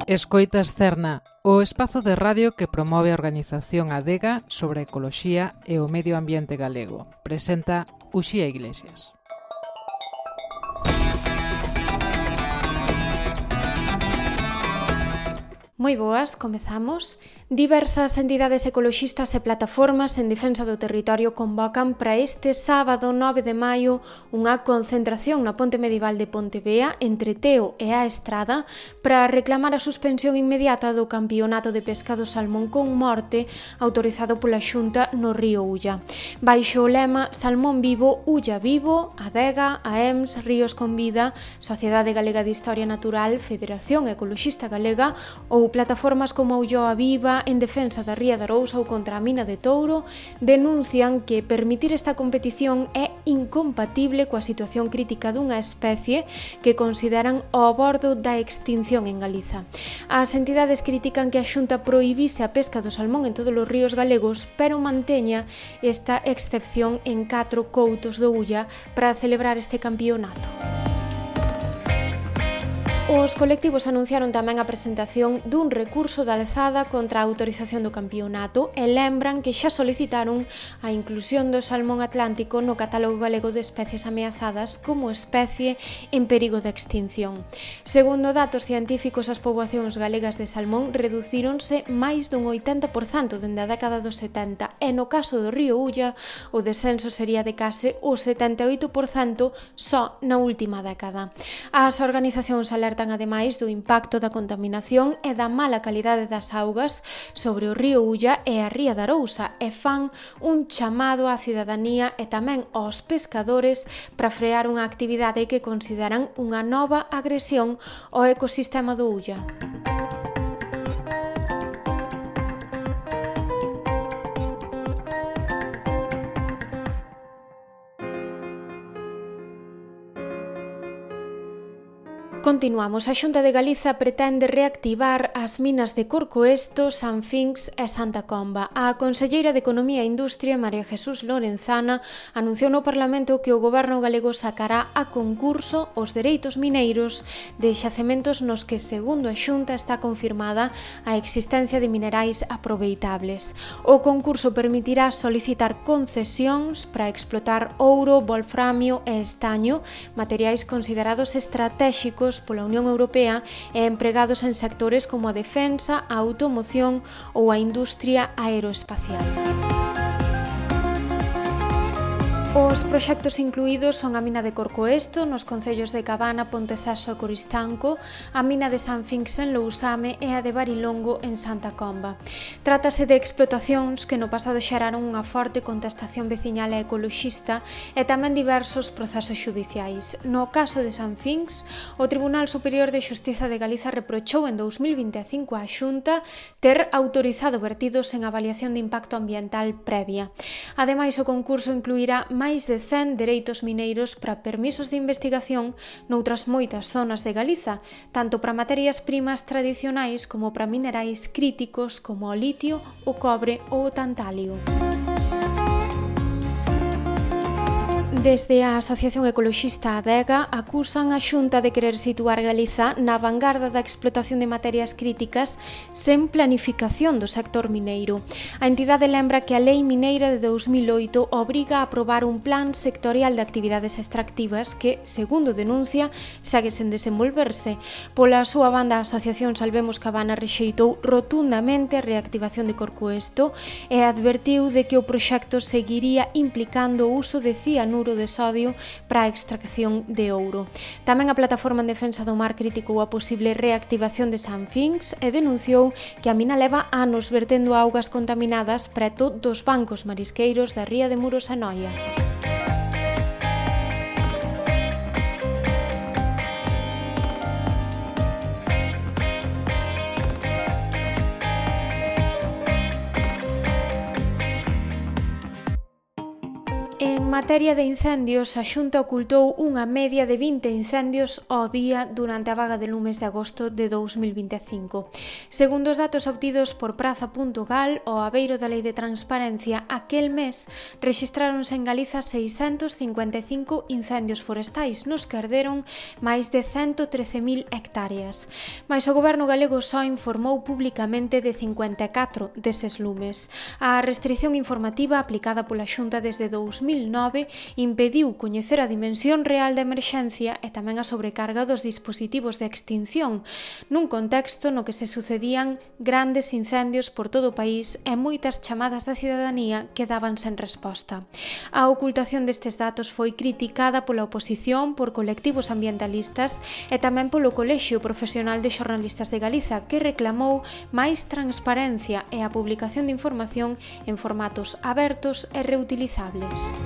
Escoitas Cerna, o espazo de radio que promove a organización Adega sobre a ecoloxía e o medio ambiente galego. Presenta Uxía Iglesias. Moi boas, comezamos. Diversas entidades ecoloxistas e plataformas en defensa do territorio convocan para este sábado 9 de maio unha concentración na Ponte Medieval de Pontevea entre Teo e a Estrada para reclamar a suspensión inmediata do campeonato de pesca do salmón con morte autorizado pola Xunta no río Ulla. Baixo o lema Salmón vivo, Ulla vivo, Adega, AEMS, Ríos con Vida, Sociedade Galega de Historia Natural, Federación Ecoloxista Galega ou plataformas como Ulloa Viva en defensa da Ría de Arousa ou contra a mina de Touro denuncian que permitir esta competición é incompatible coa situación crítica dunha especie que consideran ao bordo da extinción en Galiza. As entidades critican que a Xunta prohibise a pesca do salmón en todos os ríos galegos, pero manteña esta excepción en 4 coutos do Ulla para celebrar este campeonato. Os colectivos anunciaron tamén a presentación dun recurso de alzada contra a autorización do campeonato e lembran que xa solicitaron a inclusión do salmón atlántico no catálogo galego de especies ameazadas como especie en perigo de extinción. Segundo datos científicos, as poboacións galegas de salmón reducíronse máis dun 80% dende a década dos 70 e no caso do río Ulla o descenso sería de case o 78% só na última década. As organizacións alertan ademais do impacto da contaminación e da mala calidade das augas sobre o río Ulla e a Ría de Arousa e fan un chamado á cidadanía e tamén aos pescadores para frear unha actividade que consideran unha nova agresión ao ecosistema do Ulla. Continuamos. A Xunta de Galiza pretende reactivar as minas de Corcoesto, San Finx e Santa Comba. A conselleira de Economía e Industria, María Jesús Lorenzana, anunciou no Parlamento que o Goberno galego sacará a concurso os dereitos mineiros de xacementos nos que, segundo a Xunta, está confirmada a existencia de minerais aproveitables. O concurso permitirá solicitar concesións para explotar ouro, wolframio e estaño, materiais considerados estratéxicos pola Unión Europea e empregados en sectores como a defensa, a automoción ou a industria aeroespacial. Os proxectos incluídos son a mina de Corcoesto nos concellos de Cabana, Ponteceso e Coristanco, a mina de San Finx en Lousame e a de Barilongo en Santa Comba. Trátase de explotacións que no pasado xeraron unha forte contestación veciñal e ecoloxista e tamén diversos procesos xudiciais. No caso de San Finx, o Tribunal Superior de Xustiza de Galiza reprochou en 2025 á Xunta ter autorizado vertidos en avaliación de impacto ambiental previa. Ademais, o concurso incluirá máis de 100 dereitos mineiros para permisos de investigación noutras moitas zonas de Galiza, tanto para materias primas tradicionais como para minerais críticos como o litio, o cobre ou o tantalio. Desde a Asociación Ecoloxista Adega acusan a Xunta de querer situar Galiza na vanguarda da explotación de materias críticas sen planificación do sector mineiro. A entidade lembra que a Lei Mineira de 2008 obriga a aprobar un plan sectorial de actividades extractivas que, segundo denuncia, segue sen desenvolverse. Pola súa banda, a Asociación Salvemos Cabana rexeitou rotundamente a reactivación de Corcoesto e advertiu de que o proxecto seguiría implicando o uso de cianuro de sodio para a extracción de ouro. Tamén a Plataforma en Defensa do Mar criticou a posible reactivación de San Finx e denunciou que a mina leva anos vertendo augas contaminadas preto dos bancos marisqueiros da ría de Muros e Noia. En materia de incendios, a Xunta ocultou unha media de 20 incendios ao día durante a vaga de lumes de agosto de 2025. Segundo os datos obtidos por Praza.gal, ao abeiro da Lei de Transparencia, aquel mes rexistráronse en Galiza 655 incendios forestais, nos que arderon máis de 113.000 hectáreas. Mais o goberno galego só informou públicamente de 54 deses lumes. A restrición informativa aplicada pola Xunta desde 2009 impediu coñecer a dimensión real da emerxencia e tamén a sobrecarga dos dispositivos de extinción, nun contexto no que se sucedían grandes incendios por todo o país e moitas chamadas da cidadanía quedaban sen resposta. A ocultación destes datos foi criticada pola oposición, por colectivos ambientalistas e tamén polo Colexio Profesional de Xornalistas de Galiza, que reclamou máis transparencia e a publicación de información en formatos abertos e reutilizables.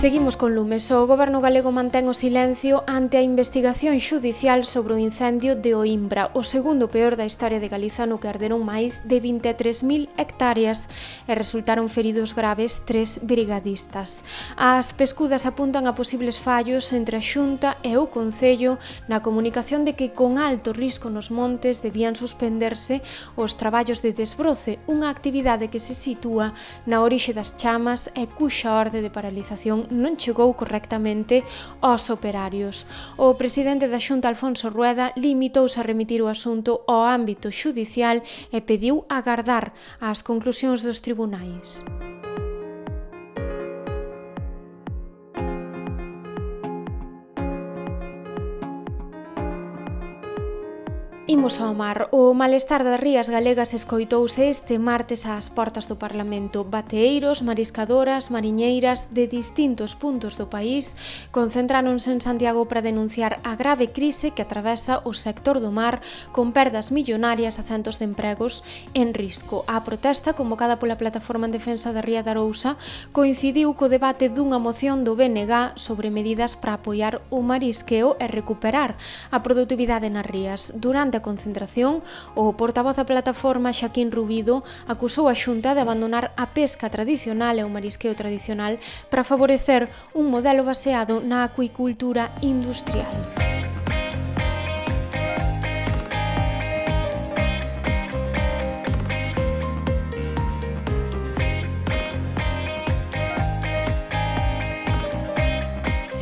Seguimos con lumes. O goberno galego mantén o silencio ante a investigación xudicial sobre o incendio de Oimbra, o segundo peor da historia de Galiza, no que arderon máis de 23.000 hectáreas e resultaron feridos graves 3 brigadistas. As pescudas apuntan a posibles fallos entre a Xunta e o Concello na comunicación de que con alto risco nos montes debían suspenderse os traballos de desbroce, unha actividade que se sitúa na orixe das chamas e cuxa orde de paralización non chegou correctamente aos operarios. O presidente da Xunta, Alfonso Rueda, limitouse a remitir o asunto ao ámbito xudicial e pediu agardar as conclusións dos tribunais. Imos ao mar. O malestar das rías galegas escoitouse este martes ás portas do Parlamento. Bateeiros, mariscadoras, mariñeiras de distintos puntos do país concentráronse en Santiago para denunciar a grave crise que atravesa o sector do mar, con perdas millonarias a centos de empregos en risco. A protesta, convocada pola Plataforma en Defensa da Ría de Arousa, coincidiu co debate dunha moción do BNG sobre medidas para apoiar o marisqueo e recuperar a produtividade nas rías. Durante a concentración, o portavoz da plataforma, Xaquín Rubido, acusou a Xunta de abandonar a pesca tradicional e o marisqueo tradicional para favorecer un modelo baseado na acuicultura industrial.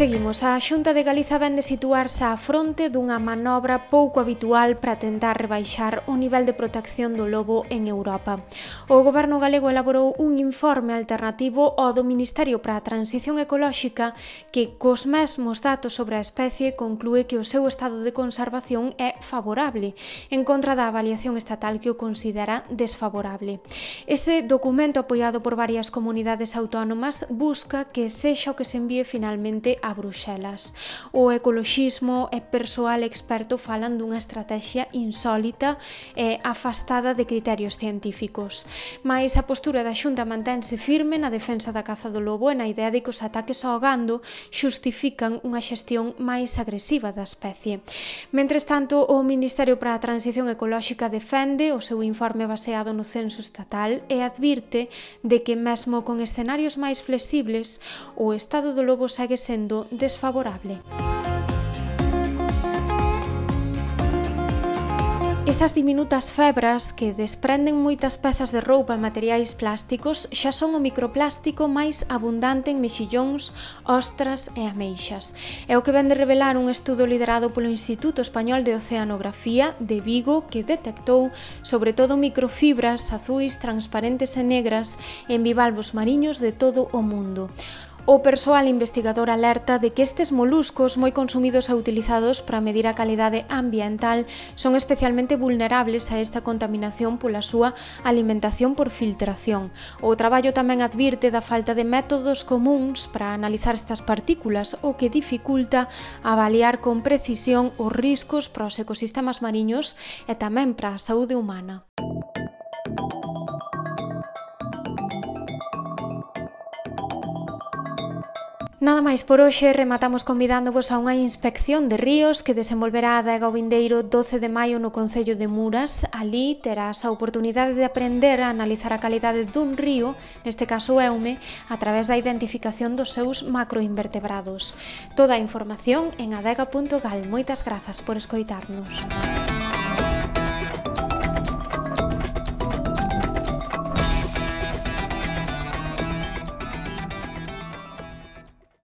Seguimos. A Xunta de Galiza vén de situarse á fronte dunha manobra pouco habitual para tentar rebaixar o nivel de protección do lobo en Europa. O goberno galego elaborou un informe alternativo ao do Ministerio para a Transición Ecolóxica que, cos mesmos datos sobre a especie, conclúe que o seu estado de conservación é favorable, en contra da avaliación estatal que o considera desfavorable. Ese documento, apoiado por varias comunidades autónomas, busca que sexa o que se envíe finalmente a Bruxelas. O ecoloxismo e persoal experto falan dunha estrategia insólita e afastada de criterios científicos. Mais a postura da Xunta mantense firme na defensa da caza do lobo e na idea de que os ataques ao gando xustifican unha xestión máis agresiva da especie. Mentres tanto, o Ministerio para a Transición Ecolóxica defende o seu informe baseado no censo estatal e advirte de que mesmo con escenarios máis flexibles, o estado do lobo segue sendo desfavorable. Esas diminutas febras que desprenden moitas pezas de roupa e materiais plásticos xa son o microplástico máis abundante en mexillóns, ostras e ameixas. É o que vén de revelar un estudo liderado polo Instituto Español de Oceanografía de Vigo, que detectou sobre todo microfibras azuis, transparentes e negras en bivalvos mariños de todo o mundo. O persoal investigador alerta de que estes moluscos, moi consumidos e utilizados para medir a calidade ambiental, son especialmente vulnerables a esta contaminación pola súa alimentación por filtración. O traballo tamén advirte da falta de métodos comúns para analizar estas partículas, o que dificulta avaliar con precisión os riscos para os ecosistemas mariños e tamén para a saúde humana. Nada máis por hoxe, rematamos convidándovos a unha inspección de ríos que desenvolverá a Adega o vindeiro 12 de maio no Concello de Muras. Alí terás a oportunidade de aprender a analizar a calidade dun río, neste caso Eume, a través da identificación dos seus macroinvertebrados. Toda a información en adega.gal. Moitas grazas por escoitarnos.